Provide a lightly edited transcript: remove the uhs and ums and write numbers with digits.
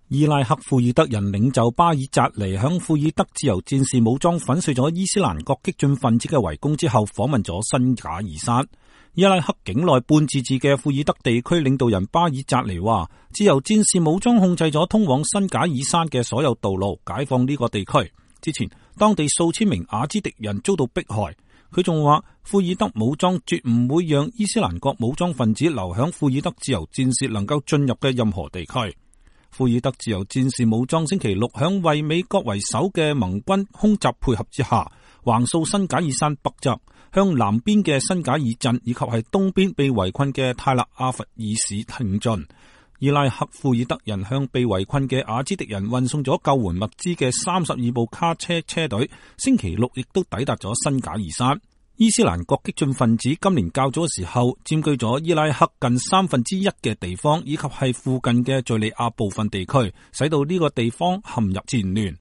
伊拉克庫爾德人領袖巴爾扎尼響庫爾德自由戰士武裝粉碎咗伊斯蘭國激進分子嘅圍攻之後，訪問咗新賈爾山。伊拉克境內半自治嘅庫爾德地區領導人巴爾扎尼話，自由戰士武裝控制咗通往新賈爾山嘅所有道路，解放呢個地區。之前當地數千名雅茲迪人遭到迫害。佢仲話，庫爾德武裝絕唔會讓伊斯蘭國武裝分子留響庫爾德自由戰士能夠進入嘅任何地區。庫爾德自由戰士武裝星期六響為美國為首嘅盟軍空襲配合之下，橫掃新賈爾山北側，向南邊嘅新賈爾鎮以及係東邊被圍困嘅泰勒阿弗爾市挺進。伊拉克庫爾德人向被圍困嘅雅茲迪人運送咗救援物資嘅32部卡車車隊，星期六亦都抵達咗新賈爾山。伊斯蘭國激進分子今年較早嘅時候佔據咗伊拉克近1/3嘅地方，以及係附近嘅敘利亞部分地區，使到呢個地方陷入戰亂。